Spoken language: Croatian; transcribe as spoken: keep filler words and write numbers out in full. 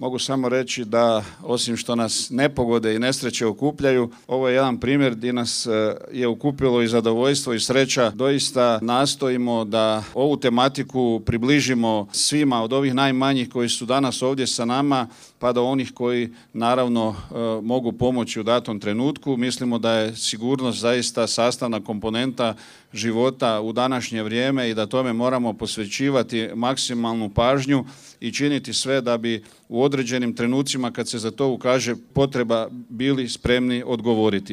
mogu samo reći da osim što nas nepogode i nesreće okupljaju, ovo je jedan primjer gdje nas je okupilo i zadovoljstvo i sreća. Doista nastojimo da ovu tematiku približimo svima, od ovih najmanjih koji su danas ovdje sa nama pa do onih koji naravno mogu pomoći u datom trenutku. Mislimo da je sigurnost zaista sastavna komponenta života u današnje vrijeme i da tome moramo posvećivati maksimalnu pažnju i činiti sve da bi u određenim trenucima kad se za to ukaže potreba bili spremni odgovoriti.